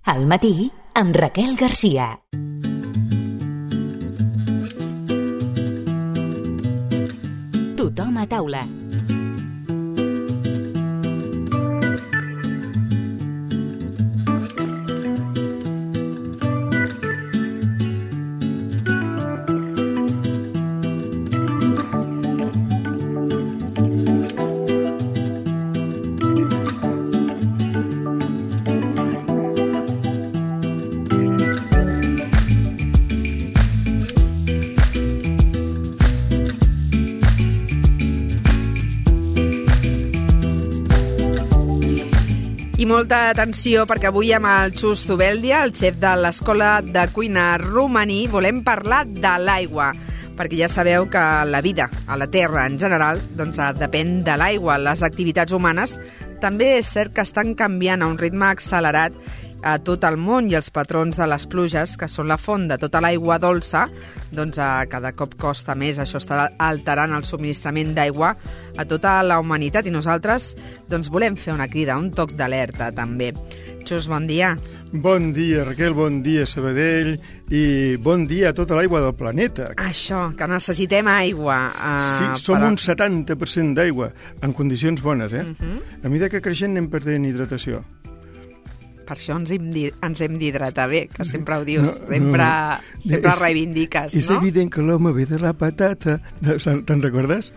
Al matí, amb Raquel Garcia. Tothom a taula. I molta atenció perquè avui amb el Xus Zubeldia, el xef de l'Escola de Cuina Romaní, volem parlar de l'aigua, perquè ja sabeu que la vida a la Terra en general doncs, depèn de l'aigua. Les activitats humanes també és cert que estan canviant a un ritme accelerat a tot el món i els patrons de les pluges, que són la font de tota l'aigua dolça, doncs cada cop costa més. Això està alterant el subministrament d'aigua a tota la humanitat i nosaltres doncs, volem fer una crida, un toc d'alerta també. Xus, bon dia. Bon dia, Raquel, bon dia, Sabadell, i bon dia a tota l'aigua del planeta. Això, que necessitem aigua. Sí, som un 70% d'aigua, en condicions bones, eh? A mesura que creixent anem perdent hidratació. Per això ens hem d'hidratar bé, que sempre ho dius, sempre reivindiques, no? És evident que l'home ve de la patata. Te'n recordes?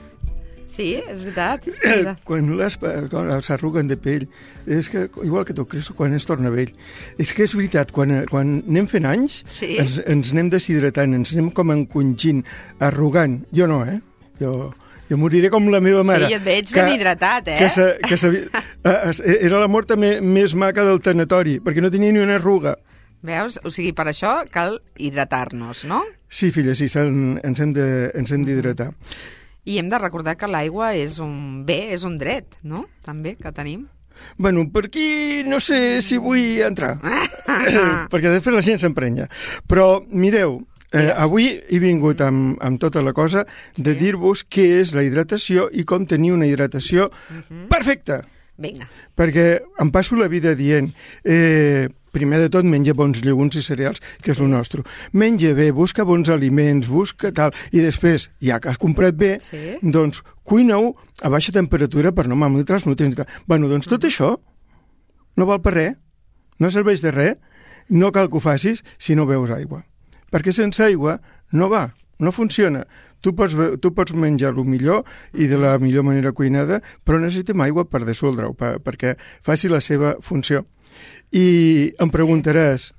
Sí, és veritat. Quan s'arruguen de pell, és que, igual que tot creix quan es torna vell. És que és veritat, quan anem fent anys, sí, ens anem deshidratant, ens anem com encongint, arrugant. Jo no, eh? Jo moriré com la meva mare. Sí, jo et veig ben hidratat, eh? Era la mort més maca del tanatori, perquè no tenia ni una arruga. Veus? O sigui, per això cal hidratar-nos, no? Sí, filla, sí, ens hem d'hidratar. I hem de recordar que l'aigua és un bé, és un dret, no? També, que tenim. Bueno, per aquí no sé si vull entrar, perquè després la gent s'emprenya. Però, mireu, avui he vingut amb tota la cosa de dir-vos què és la hidratació i com tenir una hidratació perfecta. Vinga. Perquè em passo la vida dient, primer de tot menja bons llegums i cereals, que és el nostre. Menja bé, busca bons aliments, busca tal, i després, ja que has comprat bé, sí, doncs cuina-ho a baixa temperatura per no malmetre els nutrients. Bueno, doncs tot això no val per res, no serveix de res, no cal que ho facis si no beus aigua. Perquè sense aigua no va, no funciona. Tu pots menjar el millor i de la millor manera cuinada, però necessitem aigua per dissoldre-ho, perquè faci la seva funció. I em preguntaràs,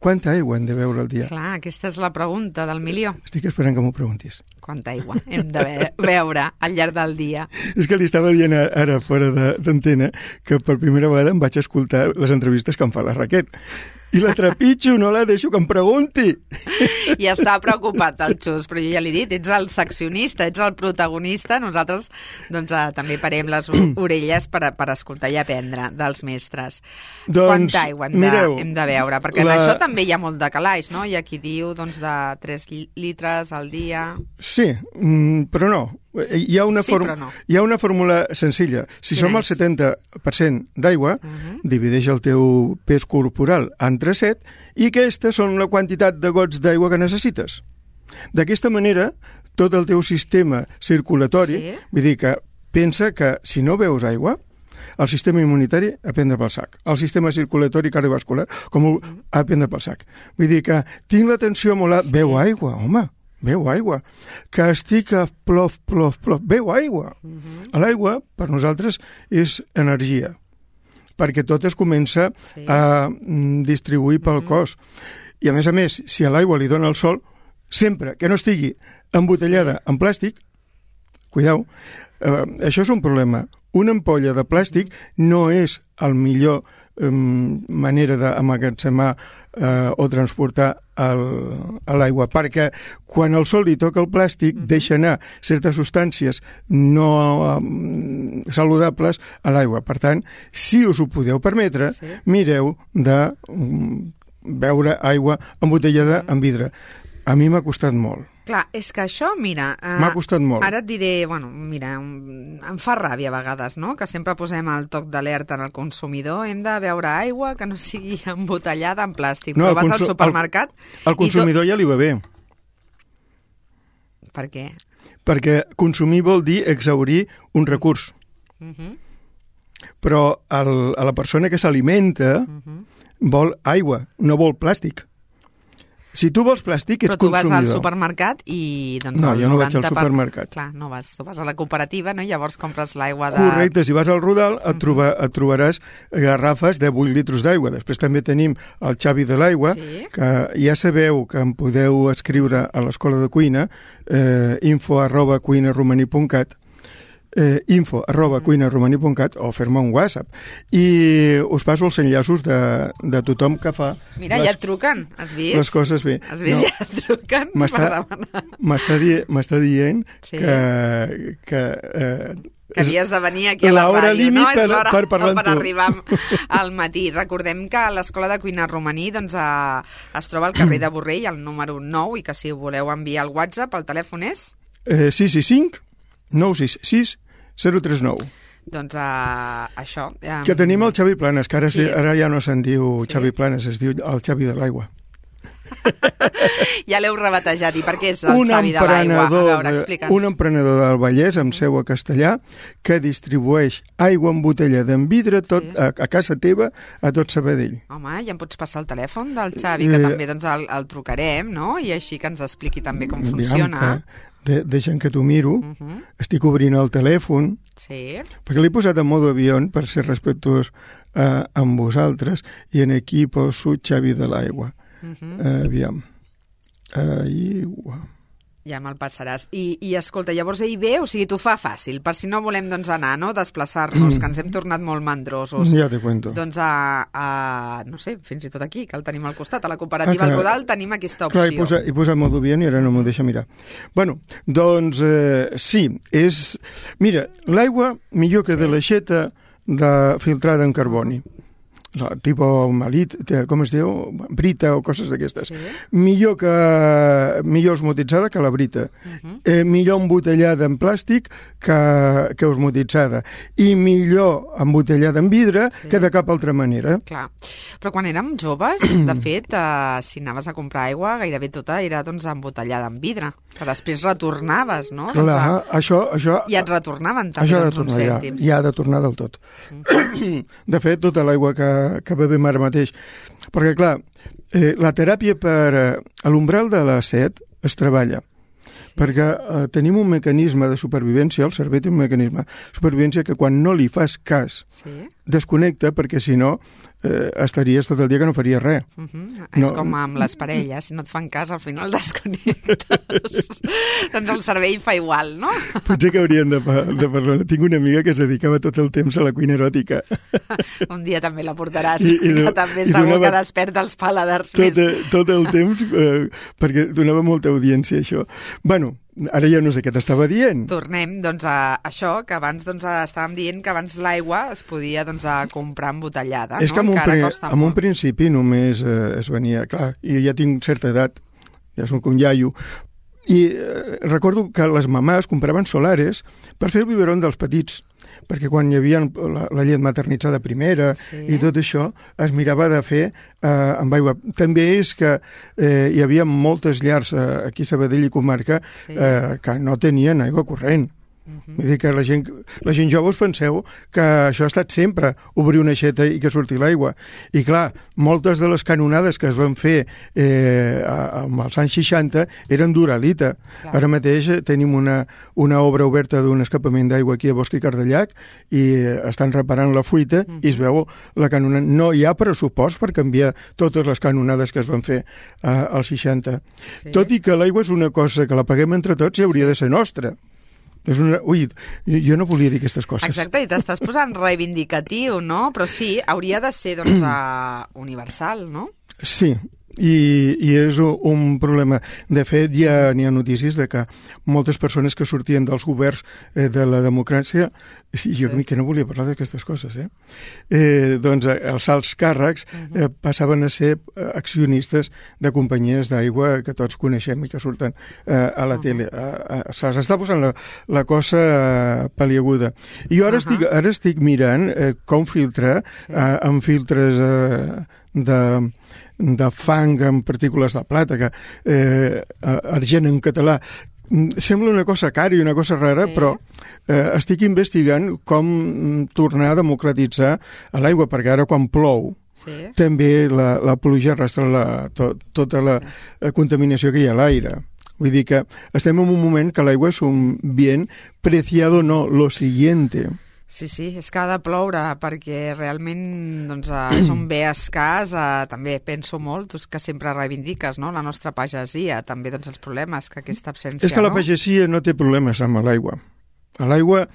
quanta aigua hem de beure al dia? Clar, aquesta és la pregunta del milió. Estic esperant que m'ho preguntis. Quanta aigua hem de beure al llarg del dia? És que li estava dient ara fora d'antena que per primera vegada em vaig escoltar les entrevistes que em fa la Raquel. I la trepitjo, no la deixo que em pregunti. I està preocupat el Xus, però jo ja l'he dit, ets el seccionista, ets el protagonista, nosaltres doncs, també parem les orelles per escoltar i aprendre dels mestres. Doncs, quanta aigua hem de beure? Perquè en això també hi ha molt de calaix, no? Hi ha qui diu doncs, de 3 litres al dia. Sí, però no. Hi ha una fórmula senzilla. Si som el 70% d'aigua, divideix el teu pes corporal entre 7 i aquestes són la quantitat de gots d'aigua que necessites. D'aquesta manera, tot el teu sistema circulatori, vull dir que pensa que si no beus aigua, el sistema immunitari a prendre pel sac. El sistema circulatori cardiovascular a prendre pel sac. Vull dir que tinc la tensió molt alta. Beu aigua, home. Beu aigua, que estic a plof, beu aigua. L'aigua, per nosaltres, és energia, perquè tot es comença a distribuir pel cos. I, a més, si a l'aigua li dona el sol, sempre que no estigui embotellada en plàstic, cuidao, això és un problema. Una ampolla de plàstic no és el millor manera d'emmagatzemar o transportar l'aigua, perquè quan el sol li toca el plàstic deixa anar certes substàncies no saludables a l'aigua. Per tant, si us ho podeu permetre, mireu de beure aigua embotellada en vidre. A mi m'ha costat molt. Clar, és que això, mira... M'ha costat molt. Ara et diré, bueno, mira, em fa ràbia a vegades, no?, que sempre posem el toc d'alerta en el consumidor, hem de beure aigua que no sigui embotellada en plàstic, però vas al supermercat... El consumidor ja li va bé. Per què? Perquè consumir vol dir exhaurir un recurs. Però a la persona que s'alimenta vol aigua, no vol plàstic. Si tu vols plàstic, ets consumidor. Però tu vas al supermercat i... Doncs, no, jo no vaig al supermercat. Clar, no vas. Tu vas a la cooperativa, no? I llavors compres l'aigua de... Correcte, si vas al Rodal et trobaràs garrafes de 8 litres d'aigua. Després també tenim el Xavi de l'Aigua, que ja sabeu que em podeu escriure a l'Escola de Cuina, info@cuinaromaní.cat, info@cuinaromaní.cat o fer-me un WhatsApp i us passo els enllaços de tothom que fa... Mira, ja et truquen, has vist? Les coses bé. Has vist, ja et truquen per demanar. M'està dient que havies de venir aquí a la ràdio, no? És l'hora per arribar al matí. Recordem que l'Escola de Cuina Romaní es troba al carrer de Borrell, al número 9, i que si voleu enviar el WhatsApp, el telèfon és? 665 966 039. Doncs això... Que tenim el Xavi Planes, que ara ja no se'n diu Xavi Planes, es diu el Xavi de l'Aigua. Ja l'heu rebatejat. I per què és el Xavi de l'Aigua? A veure, explica'ns. Un emprenedor del Vallès, amb seu a Castellà, que distribueix aigua embotellada en vidre a casa teva, a tot Sabadell. Home, ja em pots passar el telèfon del Xavi, que també el trucarem, no? I així que ens expliqui també com funciona. Deixa'm que t'ho miro, estic obrint el telèfon, perquè l'he posat en modo avió per ser respectuós amb vosaltres, i en aquí poso Xavi de l'Aigua. Aviam. Aigua. Ja me'l passaràs. I escolta, llavors ell ve, o sigui, t'ho fa fàcil, per si no volem anar, no?, desplaçar-nos, que ens hem tornat molt mandrosos. Ja te cuento. Doncs no sé, fins i tot aquí, que el tenim al costat, a la cooperativa al Rodal tenim aquesta opció. Clar, he posat modo avió i ara no m'ho deixa mirar. Bueno, doncs sí, és... Mira, l'aigua millor que de l'aixeta filtrada en carboni. Tipo malit, com es diu? Brita o coses d'aquestes. Millor osmotitzada que la brita. Millor embotellada en plàstic que osmotitzada. I millor embotellada en vidre que de cap altra manera. Clar. Però quan érem joves, de fet, si anaves a comprar aigua, gairebé tota era embotellada en vidre. Que després retornaves, no? Clar, això... I et retornaven també uns cèntims. Ja ha de tornar del tot. De fet, tota l'aigua que bevem ara mateix. Perquè, clar, la teràpia per l'umbral de la set es treballa. Perquè tenim un mecanisme de supervivència, el cervell té un mecanisme de supervivència que quan no li fas cas desconnecta, perquè si no estaries tot el dia que no faries res. És com amb les parelles, si no et fan cas al final desconnectes. Doncs el cervell fa igual, no? Potser que hauríem de parlar. Tinc una amiga que es dedicava tot el temps a la cuina eròtica. Un dia també la portaràs, que també segur que desperta els paladars més. Tot el temps, perquè donava molta audiència, això. Bueno, ara ja no sé què t'estava dient. Tornem, doncs, a això, que abans estàvem dient que abans l'aigua es podia comprar embotellada, no? És que en un principi només es venia... Clar, jo ja tinc certa edat, ja soc un iaio, i recordo que les mamàs compraven solares per fer el biberon dels petits, perquè quan hi havia la llet maternitzada primera i tot això, es mirava de fer amb aigua. També és que hi havia moltes llars aquí a Sabadell i comarca que no tenien aigua corrent. Vull dir que la gent jove us penseu que això ha estat sempre, obrir una aixeta i que surti l'aigua. I clar, moltes de les canonades que es van fer als anys 60 eren d'uralita. Ara mateix tenim una obra oberta d'un escapament d'aigua aquí a Bosch i Cardellac i estan reparant la fuita i es veu la canonada. No hi ha pressupost per canviar totes les canonades que es van fer als 60. Tot i que l'aigua és una cosa que la paguem entre tots i hauria de ser nostra. Ui, jo no volia dir aquestes coses. Exacte, i t'estàs posant reivindicatiu, no? Però sí, hauria de ser, doncs, universal, no? Sí, i és un problema. De fet, ja n'hi ha notícies de que moltes persones que sortien dels governs de la democràcia, jo que no volia parlar d'aquestes coses, doncs els alts càrrecs passaven a ser accionistes de companyies d'aigua que tots coneixem i que surten a la tele. S'està posant la cosa paliaguda. I jo ara estic mirant com filtrar amb filtres de fang amb partícules de plata, que argent en català. Sembla una cosa cara i una cosa rara, però estic investigant com tornar a democratitzar l'aigua, perquè ara quan plou també la pluja arrastra tota la contaminació que hi ha a l'aire. Vull dir que estem en un moment que l'aigua és un bien preciado, no lo siguiente. Sí, és que ha de ploure, perquè realment és un bé escàs. També penso molt, tu que sempre reivindiques la nostra pagesia, també els problemes que aquesta absència... És que la pagesia no té problemes amb l'aigua. L'aigua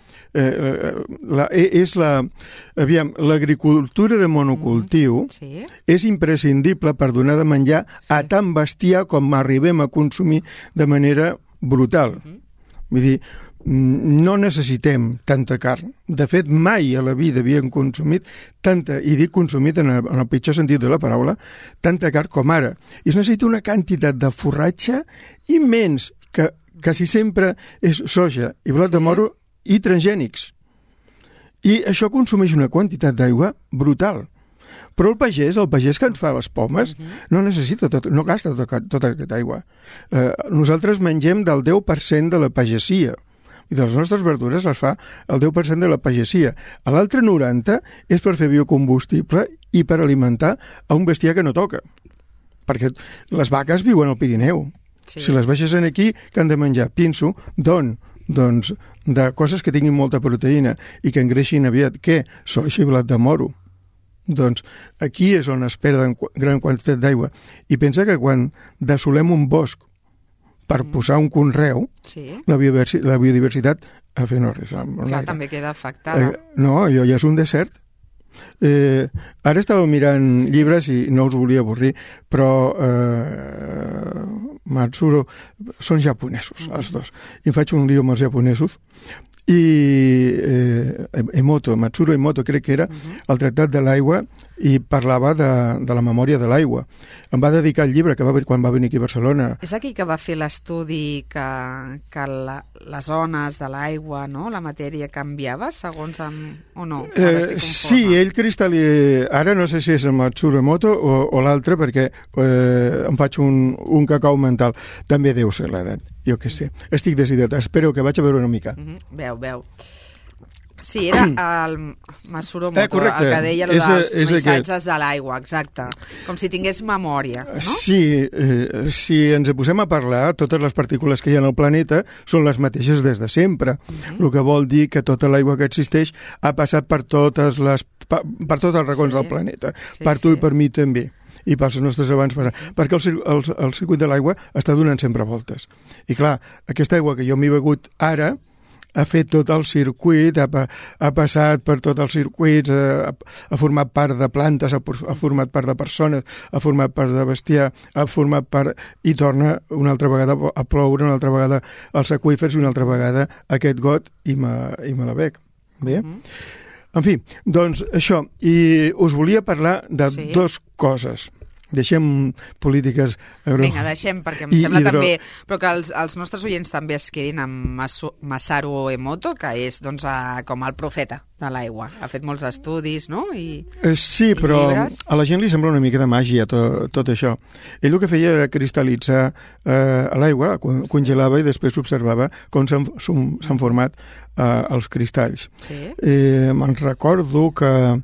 és l'agricultura de monocultiu és imprescindible per donar de menjar a tant bestiar com arribem a consumir de manera brutal. Vull dir, no necessitem tanta carn. De fet, mai a la vida havíem consumit tanta, i dic consumit en el pitjor sentit de la paraula, tanta carn com ara. I es necessita una quantitat de forratge immens, que quasi sempre és soja i blat de moro i transgènics. I això consumeix una quantitat d'aigua brutal. Però el pagès que ens fa les pomes no necessita no gasta tota aquesta aigua. Nosaltres mengem del 10% de la pagesia, i de les nostres verdures les fa el 10% de la pagesia. L'altre 90% és per fer biocombustible i per alimentar a un bestiar que no toca. Perquè les vaques viuen al Pirineu. Si les baixes aquí, que han de menjar? Pinso, doncs de coses que tinguin molta proteïna i que engreixin aviat. Què? Soja i blat de moro. Doncs aquí és on es perden gran quantitat d'aigua. I pensa que quan dessolem un bosc per posar un conreu, la biodiversitat al fer no res. Clar, també queda afectada. No, allò ja és un desert. Ara estava mirant llibres i no us volia avorrir, però Matsuro són japonesos, els dos. I em faig un lío amb els japonesos. I Matsuro Emoto, crec que era, el Tractat de l'Aigua, i parlava de la memòria de l'aigua. Em va dedicar el llibre quan va venir aquí a Barcelona. És aquí que va fer l'estudi que les zones de l'aigua, la matèria canviava segons o no? Sí, ell ara no sé si és el Matsuro Emoto o l'altre, perquè em faig un cacau mental. També deu ser l'edat, jo què sé. Estic decidit, espero que vaig a veure una mica. Veu. Sí, era el Matsuro Emoto, el que deia dels missatges de l'aigua, exacte. Com si tingués memòria, no? Sí, si ens posem a parlar, totes les partícules que hi ha al planeta són les mateixes des de sempre. El que vol dir que tota l'aigua que existeix ha passat per tots els racons del planeta. Per tu i per mi també. I pels nostres abans passar. Perquè el circuit de l'aigua està donant sempre voltes. I clar, aquesta aigua que jo m'he begut ara ha fet tot el circuit, ha passat per tots els circuits, ha format part de plantes, ha format part de persones, ha format part de bestiar, ha format part... i torna una altra vegada a ploure, una altra vegada als aqüífers i una altra vegada aquest got i me la bec. Bé? En fi, doncs això. I us volia parlar de dues coses. Deixem polítiques... Vinga, deixem, perquè em sembla també... Però que els nostres oients també es quedin amb Masaru Emoto, que és com el profeta de l'aigua. Ha fet molts estudis, no? Sí, però a la gent li sembla una mica de màgia tot això. Ell el que feia era cristal·litzar l'aigua, congelava i després observava com s'han format els cristalls. Me'n recordo que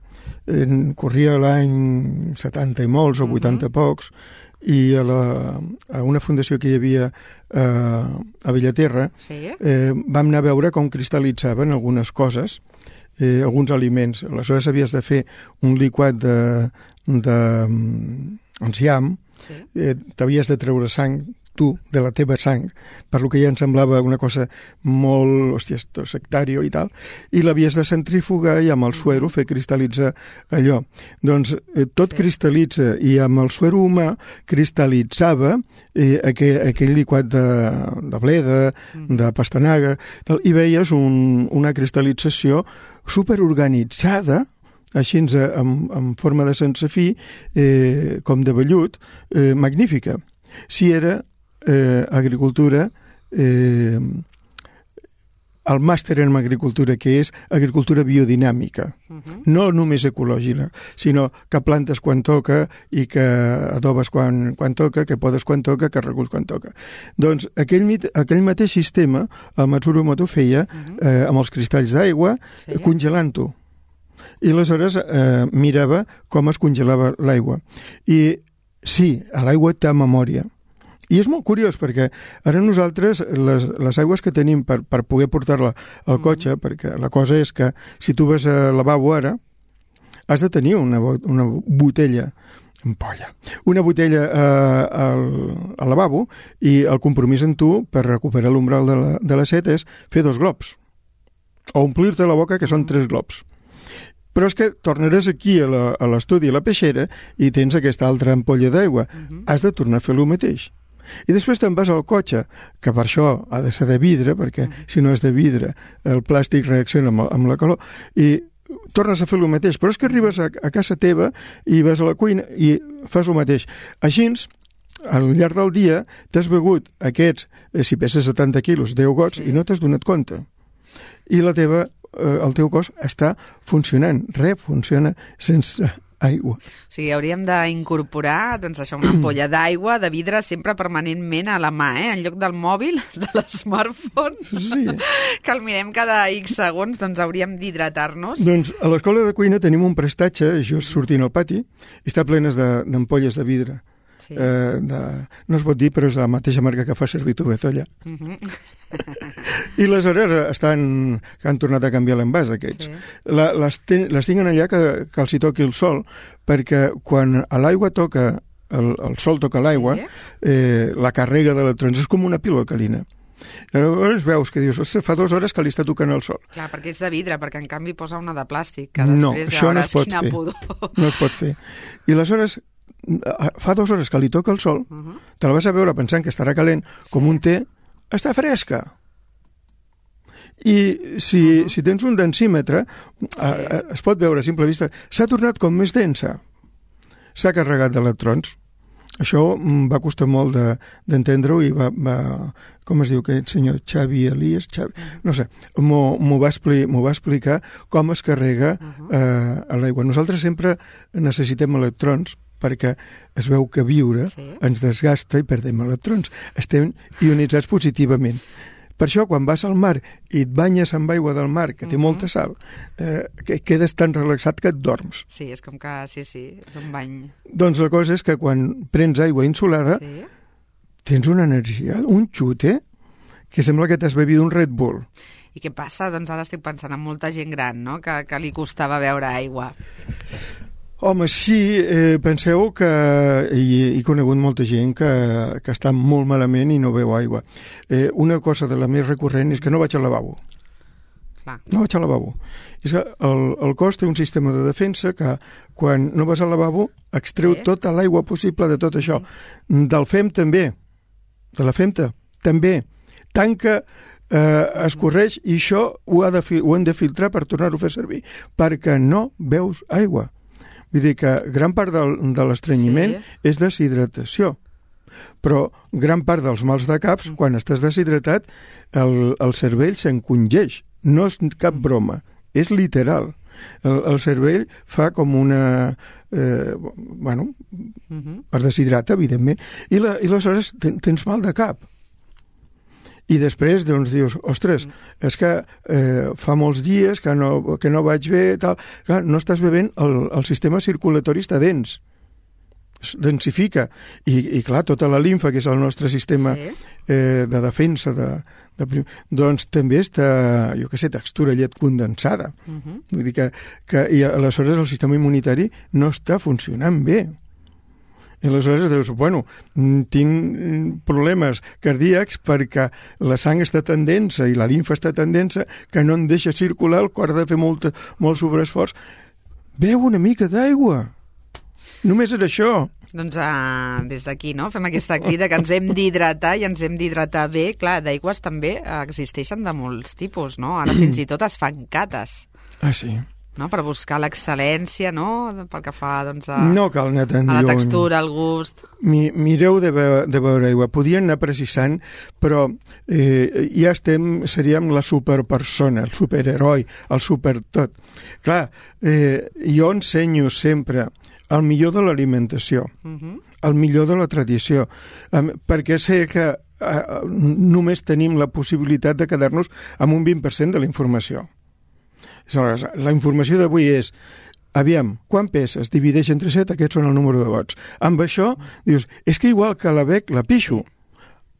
corria l'any 70 i molts o 80 pocs i a una fundació que hi havia a Bellaterra vam anar a veure com cristal·litzaven algunes coses, alguns aliments. Aleshores havies de fer un liquat d'enciam, t'havies de treure sang tu, de la teva sang, per lo que ja em semblava una cosa molt, hòstia, sectària i tal, i l'havies de centrifugar i amb el suero fer cristal·litzar allò. Doncs tot cristal·litza, i amb el suero humà cristal·litzava aquell liquat de bleda, de pastanaga, tal, i veies una cristal·lització superorganitzada, així en forma de sense fi, com de vellut, magnífica. Si era agricultura, el màster en agricultura, que és agricultura biodinàmica, no només ecològica, sinó que plantes quan toca i que adobes quan toca, que podes quan toca, que reculls quan toca. Doncs aquell mateix sistema el Matsuru Emoto feia amb els cristalls d'aigua, congelant-ho. I aleshores mirava com es congelava l'aigua. I sí, l'aigua té memòria. I és molt curiós perquè ara nosaltres les aigües que tenim per poder portar-la al cotxe, perquè la cosa és que si tu vas al lavabo ara, has de tenir una botella, una botella al lavabo, i el compromís en tu per recuperar l'umbral de la set és fer 2 globs, o omplir-te la boca, que són 3 globs. Però és que tornaràs aquí a l'estudi, a la peixera, i tens aquesta altra ampolla d'aigua. Has de tornar a fer el mateix. I després te'n vas al cotxe, que per això ha de ser de vidre, perquè si no és de vidre el plàstic reacciona amb la calor, i tornes a fer el mateix. Però és que arribes a casa teva i vas a la cuina i fas el mateix. Així, al llarg del dia, t'has begut aquests, si peses 70 quilos, 10 gots, i no t'has donat compte. I el teu cos està funcionant. Res funciona sense aigua. O sigui, hauríem d'incorporar una ampolla d'aigua de vidre sempre permanentment a la mà, en lloc del mòbil, de l'smartphone, que el mirem cada X segons, doncs hauríem d'hidratar-nos. Doncs a l'escola de cuina tenim un prestatge, just sortint al pati, i està plenes d'ampolles de vidre. No es pot dir, però és la mateixa marca que fa servir tu, Bezolla. I aleshores que han tornat a canviar l'envàs aquests. Les tinguin allà que els hi toqui el sol, perquè quan l'aigua toca, el sol toca l'aigua, la càrrega d'electrons és com una pila alcalina. Llavors veus que dius, fa 2 hores que li està tocant el sol. Clar, perquè és de vidre, perquè en canvi posa una de plàstic, que després ja veuràs quina pudor. No es pot fer. I aleshores fa 2 hores que li toca el sol, te la vas a veure pensant que estarà calent, com un té, està fresca. I si tens un densímetre, es pot veure a simple vista, s'ha tornat com més densa. S'ha carregat d'electrons. Això va costar molt d'entendre-ho i va, com es diu aquest senyor, Xavi Elias, no sé, m'ho va explicar com es carrega a l'aigua. Nosaltres sempre necessitem electrons perquè es veu que viure ens desgasta i perdem electrons. Estem ionitzats positivament. Per això, quan vas al mar i et banyes amb aigua del mar, que té molta sal, quedes tan relaxat que et dorms. Sí, és com que, és un bany. Doncs la cosa és que quan prens aigua insolada, tens una energia, un xute, que sembla que t'has begut un Red Bull. I què passa? Doncs ara estic pensant en molta gent gran, no?, que li costava beure aigua. Home, sí, penseu que he conegut molta gent que està molt malament i no beu aigua. Una cosa de la més recurrent és que no vaig al lavabo. No vaig al lavabo. És que el cos té un sistema de defensa que quan no vas al lavabo extreu tota l'aigua possible de tot això. Del fem també, de la femta també. Tant que escorreix, i això ho hem de filtrar per tornar-ho a fer servir, perquè no veus aigua. Vull dir que gran part de l'estrenyiment és deshidratació, però gran part dels mals de caps, quan estàs deshidratat, el cervell s'encongeix. No és cap broma, és literal. El cervell fa com una... es deshidrata, evidentment, i aleshores tens mal de cap. I després, doncs, dius, ostres, és que fa molts dies que no vaig bé, tal. Clar, no estàs bevent, el sistema circulatori està dens, es densifica. I clar, tota la limfa, que és el nostre sistema de defensa, doncs també està, jo què sé, textura llet condensada. Vull dir que i aleshores el sistema immunitari no està funcionant bé. I aleshores dius, bueno, tinc problemes cardíacs perquè la sang està tan densa i la limfa està tan densa que no em deixa circular, el cor ha de fer molt sobreesforç. Beu una mica d'aigua. Només és això. Doncs des d'aquí, no?, fem aquesta crida que ens hem d'hidratar i ens hem d'hidratar bé. Clar, d'aigües també existeixen de molts tipus, no? Ara fins i tot es fan cates. Ah, sí? No? Per buscar l'excel·lència, no?, pel que fa doncs, no cal anar tan a la textura, al gust. Mireu de beure aigua. Podien anar precisant, però ja seríem la superpersona, el superheroi, el supertot. Clar, jo ensenyo sempre el millor de l'alimentació, el millor de la tradició, perquè sé que només tenim la possibilitat de quedar-nos amb un 20% de la informació. La informació d'avui és, aviam, quan peses? Divideix entre 7, aquests són el número de vots. Amb això, dius, és que igual que la bec la pixo.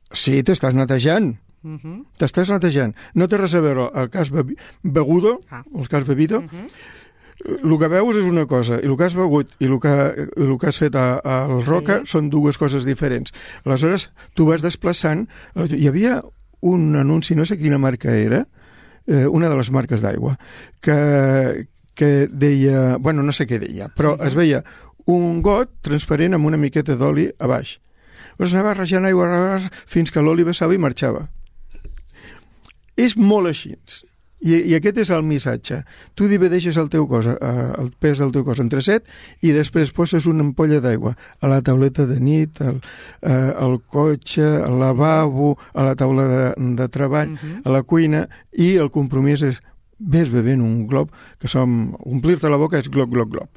Sí, t'estàs netejant. T'estàs netejant. No té res a veure el que has begudo, el que has bebido. El que veus és una cosa, i el que has begut i el que has fet al roca són dues coses diferents. Aleshores, tu vas desplaçant. Hi havia un anunci, no sé quina marca era, una de les marques d'aigua, que deia, bueno, no sé què deia, però es veia un got transparent amb una miqueta d'oli a baix. Llavors anava rajant aigua fins que l'oli vessava i marxava. És molt així. I aquest és el missatge. Tu divideixes el pes del teu cos entre 7 i després poses una ampolla d'aigua a la tauleta de nit, al cotxe, al lavabo, a la taula de treball, a la cuina, i el compromís és ves bevent un glob, que omplir-te la boca és glob, glob, glob.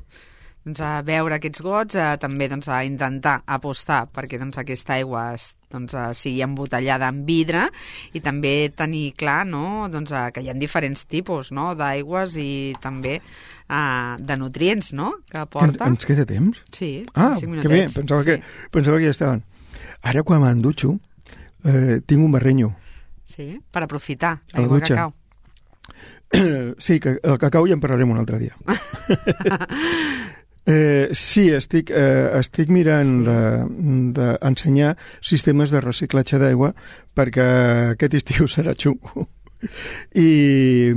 Doncs a beure aquests gots, també doncs, a intentar apostar perquè doncs, aquesta aigua sigui embotellada en vidre, i també tenir clar, no?, doncs, que hi ha diferents tipus, no?, d'aigües i també de nutrients, no?, que aporta. Ens queda temps? Sí, 5 minutets. Que bé, pensava que ja estaven. Ara quan me'n dutxo tinc un barrenyo. Sí, per aprofitar l'aigua de cacau. Sí, que el cacau ja en parlarem un altre dia. Sí, estic mirant d'ensenyar sistemes de reciclatge d'aigua perquè aquest estiu serà xungo. I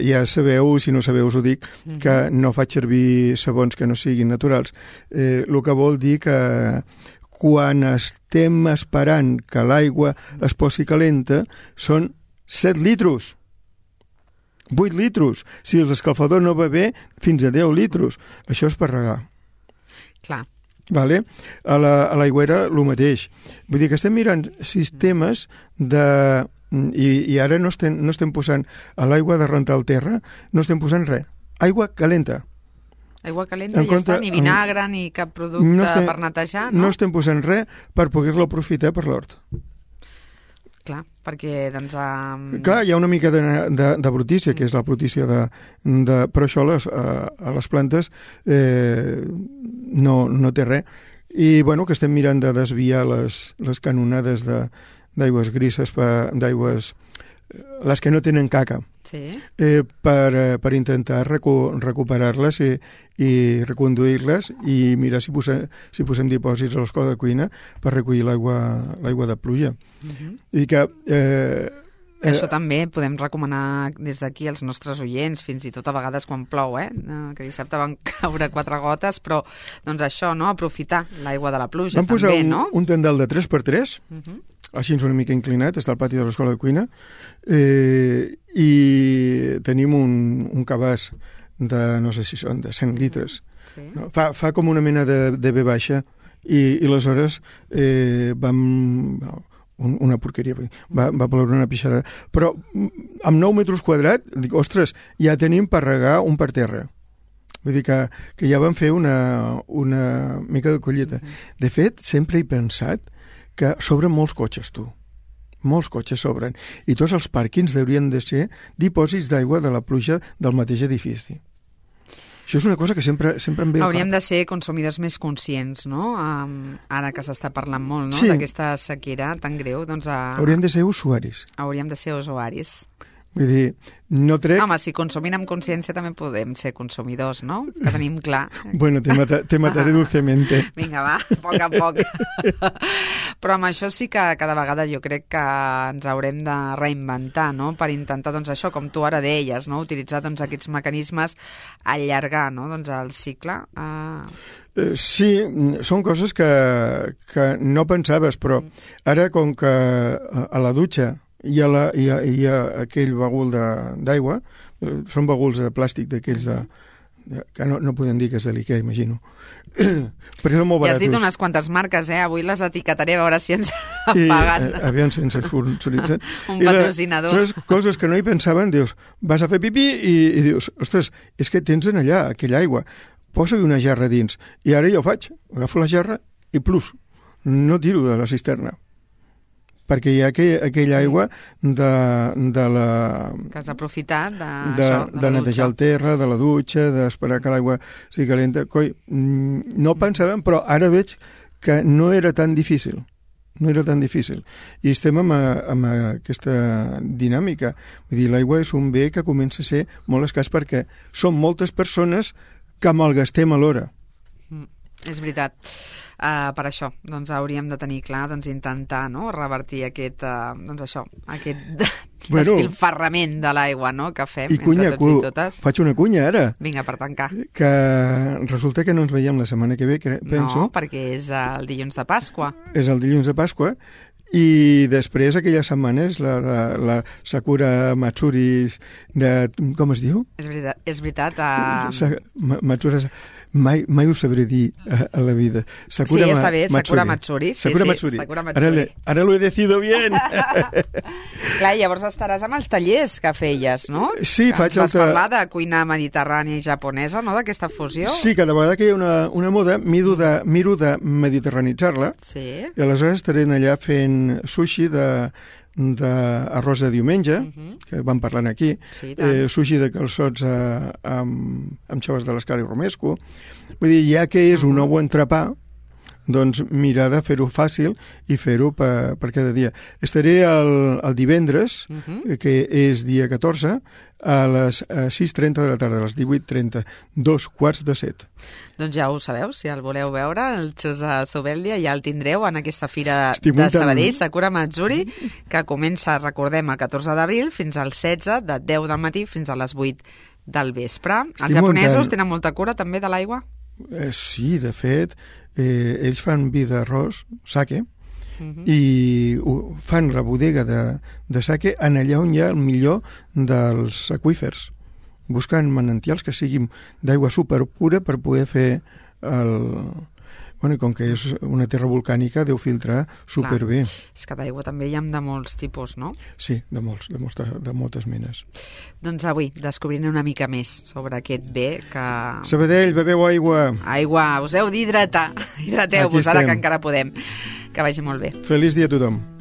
ja sabeu, si no sabeu us ho dic, que no faig servir sabons que no siguin naturals. El que vol dir que quan estem esperant que l'aigua es posi calenta són 7 litros. 8 litros. Si l'escalfador no va bé, fins a 10 litros. Això és per regar. Clar. Vale? A l'aigüera, el mateix. Vull dir que estem mirant sistemes de... I ara no estem posant a l'aigua de rentar el terra, no estem posant res. Aigua calenta. Aigua calenta i ja està, ni vinagre, ni cap producte per netejar, no? No estem posant res per poder-lo aprofitar per l'hort. Clar, perquè doncs... Clar, hi ha una mica de brutícia, que és la brutícia però això a les plantes no té res. I, bueno, que estem mirant de desviar les canonades d'aigües grises, d'aigües... les que no tenen caca, per intentar recuperar-les i reconduir-les i mirar si posem dipòsits a l'escola de cuina per recollir l'aigua de pluja. I que... Això també podem recomanar des d'aquí als nostres oients, fins i tot a vegades quan plou, que dissabte van caure 4 gotes, però doncs això, no?, aprofitar l'aigua de la pluja també, no? Vam posar un tendal de 3x3, així una mica inclinat, està al pati de l'escola de cuina, i tenim un cabàs de, no sé si són de 100 litres. No? Fa com una mena de B baixa, i aleshores vam... una porqueria, va ploure una pixarada. Però amb 9 metres quadrats, dic, ostres, ja tenim per regar un per terra. Vull dir que ja vam fer una mica de collita. De fet, sempre he pensat que sobren molts cotxes, tu. Molts cotxes sobren. I tots els pàrquings haurien de ser dipòsits d'aigua de la pluja del mateix edifici. Això és una cosa que sempre em ve... Hauríem de ser consumidors més conscients, no? Ara que s'està parlant molt, no?, d'aquesta sequera tan greu, doncs... Hauríem de ser usuaris. Hauríem de ser usuaris. Vull dir, no trec... Home, si consumim amb consciència també podem ser consumidors, no? Que tenim clar. Bueno, te mataré dulcemente. Vinga, va, a poc a poc. Però amb això sí que cada vegada jo crec que ens haurem de reinventar, no? Per intentar, doncs això, com tu ara deies, no? Utilitzar doncs, aquests mecanismes, allargar, no? Doncs el cicle. Sí, són coses que no pensaves, però ara com que a la dutxa hi ha aquell bagul d'aigua, són baguls de plàstic d'aquells que no podem dir que és de l'Ikea, imagino. Perquè són molt baratos. Ja has dit unes quantes marques, avui les etiquetaré a veure si ens paguen. Aviam si ens sponsoritzen. Un patrocinador. Coses que no hi pensaven, dius, vas a fer pipí i dius, ostres, és que tens en allà aquella aigua, posa-hi una jarra dins. I ara ja ho faig, agafo la jarra i plus, no tiro de la cisterna. Perquè hi ha aquella aigua de la... Que has aprofitat de netejar el terra, de la dutxa, d'esperar que l'aigua sigui calenta. Coi, no pensàvem, però ara veig que no era tan difícil. No era tan difícil. I estem amb aquesta dinàmica. Vull dir, l'aigua és un bé que comença a ser molt escàs perquè són moltes persones que malgastem alhora. És veritat. Per això doncs, hauríem de tenir clar, doncs, intentar revertir aquest despilfarrament de l'aigua que fem entre tots i totes. Faig una cunya ara. Vinga, per tancar. Que resulta que no ens veiem la setmana que ve, penso. No, perquè és el dilluns de Pasqua. És el dilluns de Pasqua. I després aquella setmana és la Sakura Matsuris com es diu? És veritat. Matsuras... Mai ho sabré dir a la vida. Sakura està bé, Sakura Matsuri. Sakura Matsuri. Ara lo he decidido bien. Clar, llavors estaràs amb els tallers que feies, no? Sí, faig vas parlar de cuina mediterrània i japonesa, no?, d'aquesta fusió. Sí, cada vegada que hi ha una moda miro de mediterranitzar-la. Sí. I aleshores estaré allà fent sushi d'arròs de diumenge, que vam parlant aquí, sushi de calçots amb xoves de l'escala i romesco. Vull dir, ja que és un ou entrepà, doncs mirar de fer-ho fàcil i fer-ho per cada dia. Estaré el divendres, que és dia 14, a les 6:30 de la tarda, a les 18:30, 6:45. Doncs ja ho sabeu, si el voleu veure, el Xus Zubeldia ja el tindreu en aquesta fira de Sabadell, Sakura Matsuri, que comença, recordem, el 14 d'abril fins al 16, de 10 del matí fins a les 8 del vespre. Els japonesos tenen molta cura també de l'aigua? Sí, de fet, ells fan vi d'arròs, sake, i fan la bodega de sake en allà on hi ha el millor dels aqüífers, buscant manantials que siguin d'aigua superpura per poder fer Bueno, i com que és una terra volcànica, deu filtrar superbé. És que d'aigua també hi ha de molts tipus, no? Sí, de moltes menes. Doncs avui descobrirem una mica més sobre aquest bé que... Sabadell, beveu aigua! Aigua, us heu d'hidratar. Hidrateu-vos ara que encara podem. Que vagi molt bé. Feliç dia a tothom.